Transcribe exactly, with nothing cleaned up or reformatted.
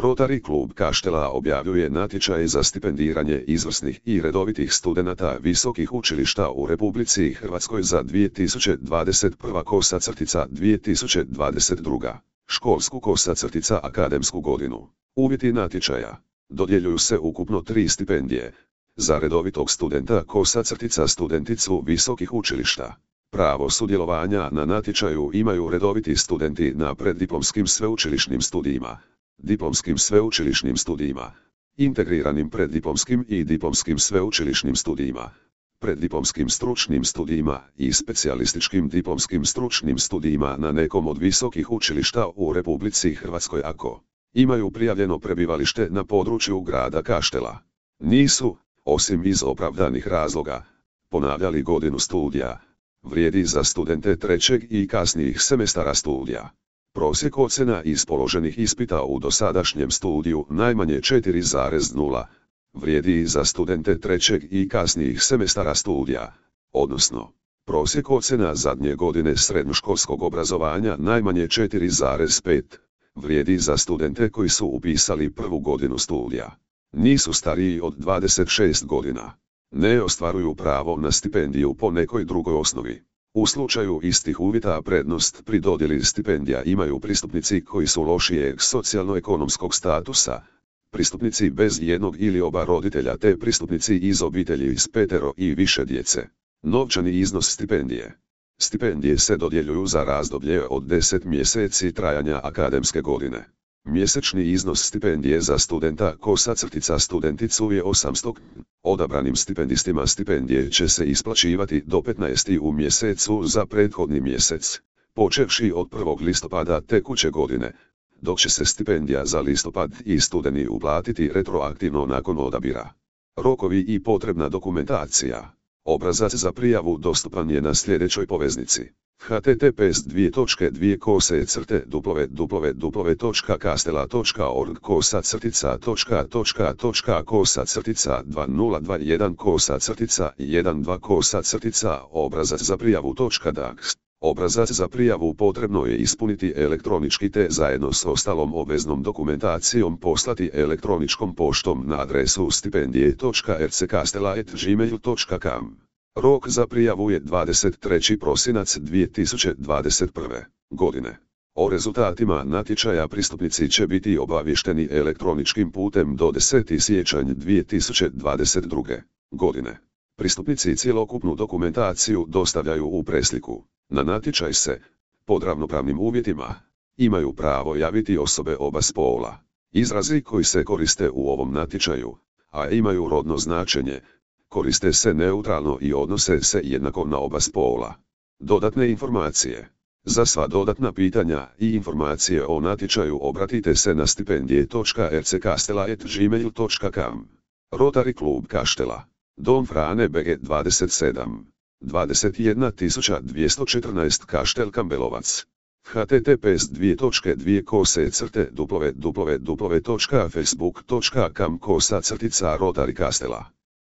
Rotary klub Kaštela objavljuje natječaj za stipendiranje izvrsnih i redovitih studenata visokih učilišta u Republici Hrvatskoj za dvije tisuće dvadeset prva kosa crtica dvije tisuće dvadeset druga školsku kosa crtica akademsku godinu. Uvjeti natječaja. Dodjeljuju se ukupno tri stipendije. Za redovitog studenta kosa crtica studenticu visokih učilišta. Pravo sudjelovanja na natječaju imaju redoviti studenti na preddiplomskim sveučilišnim studijima, diplomskim sveučilišnim studijima, integriranim preddiplomskim i diplomskim sveučilišnim studijima, preddiplomskim stručnim studijima i specijalističkim diplomskim stručnim studijima na nekom od visokih učilišta u Republici Hrvatskoj ako imaju prijavljeno prebivalište na području grada Kaštela. Nisu, osim iz opravdanih razloga, ponavljali godinu studija. Vrijedi za studente trećeg i kasnijih semestara studija. Prosjek ocjena iz položenih ispita u dosadašnjem studiju najmanje četiri zarez nula. Vrijedi za studente trećeg i kasnijih semestara studija, odnosno prosjek ocjena zadnje godine srednjoškolskog obrazovanja najmanje četiri zarez pet. Vrijedi za studente koji su upisali prvu godinu studija. Nisu stariji od dvadeset šest godina. Ne ostvaruju pravo na stipendiju po nekoj drugoj osnovi. U slučaju istih uvjeta prednost pri dodjeli stipendija imaju pristupnici koji su lošijeg socijalno-ekonomskog statusa, pristupnici bez jednog ili oba roditelja te pristupnici iz obitelji s petero i više djece. Novčani iznos stipendije. Stipendije se dodjeljuju za razdoblje od deset mjeseci trajanja akademske godine. Mjesečni iznos stipendije za studenta kosa crtica studenticu je osamsto. Odabranim stipendistima stipendije će se isplaćivati do petnaestog u mjesecu za prethodni mjesec, počevši od prvog listopada tekuće godine, dok će se stipendija za listopad i studeni uplatiti retroaktivno nakon odabira. Rokovi i potrebna dokumentacija. Obrazac za prijavu dostupan je na sljedećoj poveznici. h t t p s dvije točke dvije kose crte w w w točka kastela točka org kosa crtica točka točka točka kosa crtica dva nula dva jedan kosa crtica jedan dva kosa crtica obrazac za prijavu točka dax. Obrazac za prijavu potrebno je ispuniti elektronički te zajedno s ostalom obveznom dokumentacijom poslati elektroničkom poštom na adresu stipendije točka r c kastela at gmail točka com. Rok za prijavu je dvadeset treći prosinac dvije tisuće dvadeset prve. godine. O rezultatima natječaja pristupnici će biti obavješteni elektroničkim putem do deseti siječanj dvije tisuće dvadeset druge. godine. Pristupnici cjelokupnu dokumentaciju dostavljaju u presliku. Na natječaj se, pod ravnopravnim uvjetima, imaju pravo javiti osobe oba spola. Izrazi koji se koriste u ovom natječaju, a imaju rodno značenje, koriste se neutralno i odnose se jednako na oba spola. Dodatne informacije. Za sva dodatna pitanja i informacije o natječaju obratite se na stipendije točka r c kastela at gmail točka com. Rotary klub Kaštela. Dom Frane B G dvadeset sedam. dvadeset jedna tisuća dvjesto četrnaest Kaštel Kambelovac. h t t p s dvije točke dvije kose crte w w w točka facebook točka com kosa crtica Rotary Kastela.